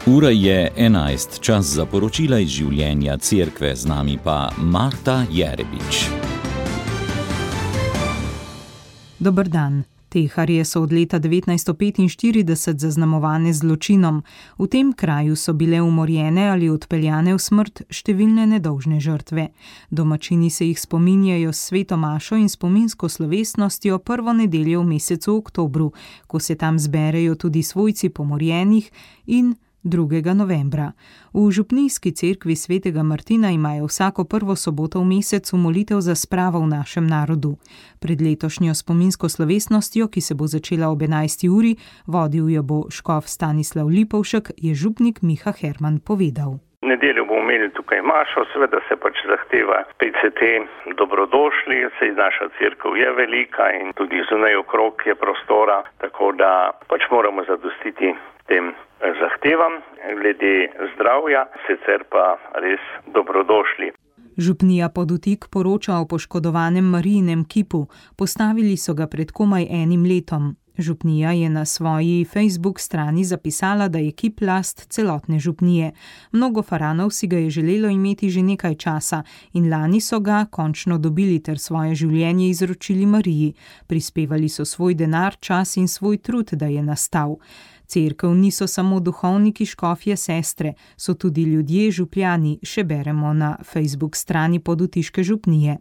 Ura je 11, čas za poročila iz življenja cerkve, z nami pa Marta Jerebič. Dober dan. Teharje so od leta 1945 zaznamovane z zločinom. V tem kraju so bile umorjene ali odpeljane v smrt številne nedolžne žrtve. Domačini se jih spominjajo s sveto mašo in spominsko slovesnostjo prvo nedeljo v mesecu oktobru, ko se tam zberejo tudi svojci pomorjenih, in 2. novembra. V župnijski cerkvi svetega Martina imajo vsako prvo soboto v mesecu molitev za spravo v našem narodu. Pred letošnjo spominsko slovesnostjo, ki se bo začela ob 11. uri, vodil jo bo škof Stanislav Lipovšek, je župnik Miha Herman povedal. V nedeljo bomo imeli tukaj mašo, seveda se zahteva PCT dobrodošli, saj naša cerkev je velika in tudi zunaj okrog je prostora, tako da moramo zadostiti tem zahtevam glede zdravja, sicer pa res dobrodošli. Župnija Podutik poroča o poškodovanem Marijinem kipu. Postavili so ga pred komaj 1 letom. Župnija je na svoji Facebook strani zapisala, da je kip last celotne župnije. Mnogo faranov si ga je želelo imeti že nekaj časa in lani so ga končno dobili ter svoje življenje izročili Mariji. Prispevali so svoj denar, čas in svoj trud, da je nastal. Cerkev niso samo duhovniki, škofje, sestre, so tudi ljudje, župljani, še beremo na Facebook strani Podutiške župnije.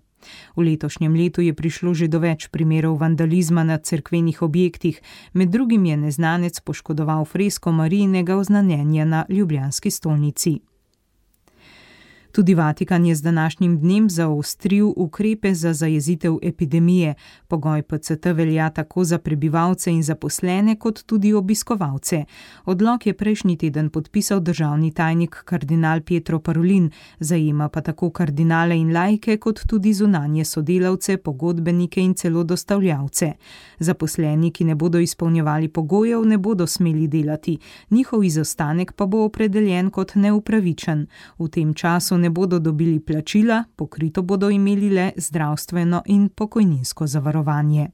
V letošnjem letu je prišlo že do več primerov vandalizma na cerkvenih objektih, med drugim je neznanec poškodoval fresko Marijinega oznanjenja na ljubljanski stolnici. Tudi Vatikan je z današnjim dnem zaostril ukrepe za zajezitev epidemije. Pogoj PCT velja tako za prebivalce in zaposlene, kot tudi obiskovalce. Odlok je prejšnji teden podpisal državni tajnik kardinal Pietro Parolin, zajema pa tako kardinale in laike, kot tudi zunanje sodelavce, pogodbenike in celo dostavljavce. Zaposleni, ki ne bodo izpolnjevali pogojev, ne bodo smeli delati. Njihov izostanek pa bo opredeljen kot neupravičen. V tem času ne bodo dobili plačila, pokrito bodo imeli le zdravstveno in pokojninsko zavarovanje.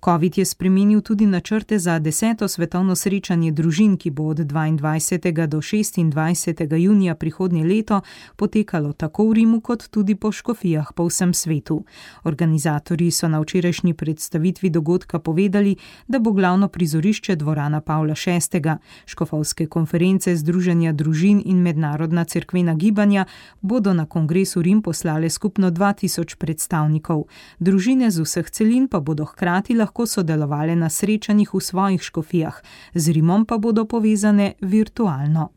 Covid je spremenil tudi načrte za 10. svetovno srečanje družin, ki bo od 22. do 26. junija prihodnje leto potekalo tako v Rimu, kot tudi po škofijah po vsem svetu. Organizatorji so na včerajšnji predstavitvi dogodka povedali, da bo glavno prizorišče dvorana Pavla VI. Škofovske konference Združenja družin in mednarodna cerkvena gibanja bodo na kongresu Rim poslale skupno 2000 predstavnikov. Družine z vseh celin pa bodo hkrati lahko sodelovali na srečanjih v svojih škofijah, z Rimom pa bodo povezane virtualno.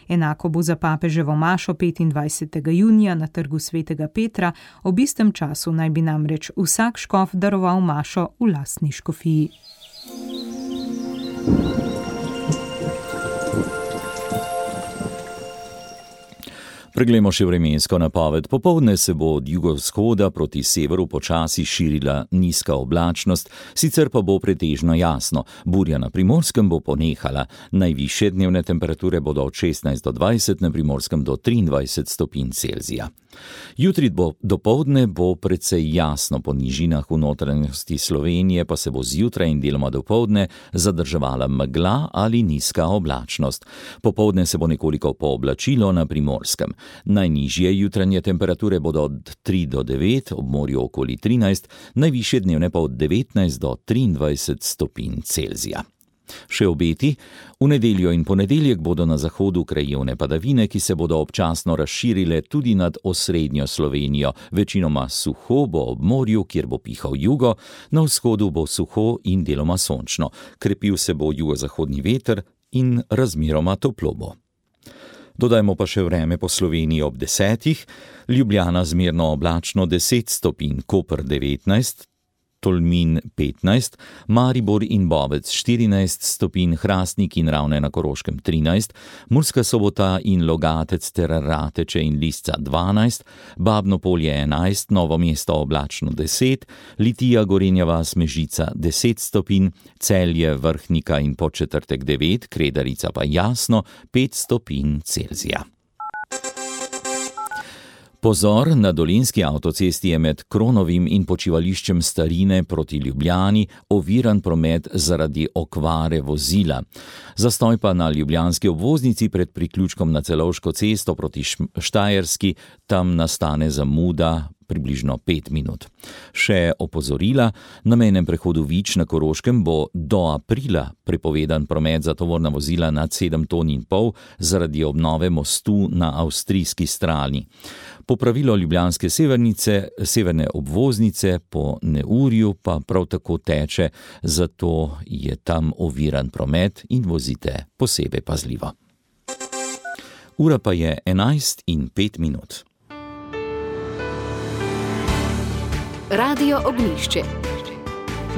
Enako bo za papeževo mašo 25. junija na trgu svetega Petra, ob istem času naj bi namreč vsak škof daroval mašo v lastni škofiji. Preglejmo še vremensko napoved. Popoldne se bo od jugovzhoda proti severu počasi širila nizka oblačnost, sicer pa bo pretežno jasno. Burja na Primorskem bo ponehala. Najvišje dnevne temperature bodo od 16 do 20, na Primorskem do 23 stopinj Celzija. Jutri dopoldne bo precej jasno, po nižinah v notranjosti Slovenije pa se bo zjutraj in deloma dopoldne zadrževala megla ali nizka oblačnost. Popoldne se bo nekoliko pooblačilo na Primorskem. Najnižje jutranje temperature bodo od 3 do 9, ob morju okoli 13, najvišje dnevne pa od 19 do 23 stopinj Celzija. Še obeti. V nedeljo in ponedeljek bodo na zahodu krajevne padavine, ki se bodo občasno razširile tudi nad osrednjo Slovenijo. Večinoma suho bo ob morju, kjer bo pihal jugo, na vzhodu bo suho in deloma sončno. Krepil se bo jugozahodni veter in razmeroma toplo bo. Dodajmo pa še vreme po Sloveniji ob 10. Ljubljana zmerno oblačno 10 stopinj, Koper 19, Tolmin 15, Maribor in Bovec 14 stopinj, Hrastnik in Ravne na Koroškem 13, Murska Sobota in Logatec ter Rateče in Lisca 12, Babno Polje 11, Novo mesto oblačno 10, Litija, Gorenja vas, Mežica 10 stopinj, Celje, Vrhnika in Podčetrtek 9, Kredarica pa jasno 5 stopinj Celzija. Pozor, na Dolenjski avtocesti je med Kronovim in počivališčem Starine proti Ljubljani oviran promet zaradi okvare vozila. Zastoj pa na ljubljanski obvoznici pred priključkom na Celovško cesto proti Štajerski, tam nastane zamuda približno 5 minut. Še opozorila, na mejnem prehodu Vič na Koroškem bo do aprila prepovedan promet za tovorna vozila nad 7,5 ton zaradi obnove mostu na avstrijski strani. Popravilo ljubljanske severne obvoznice po neurju pa prav tako teče, zato je tam oviran promet in vozite posebej pazljivo. Ura pa je 11:05. Radio Ognjišče.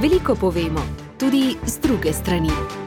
Veliko povemo, tudi z druge strani.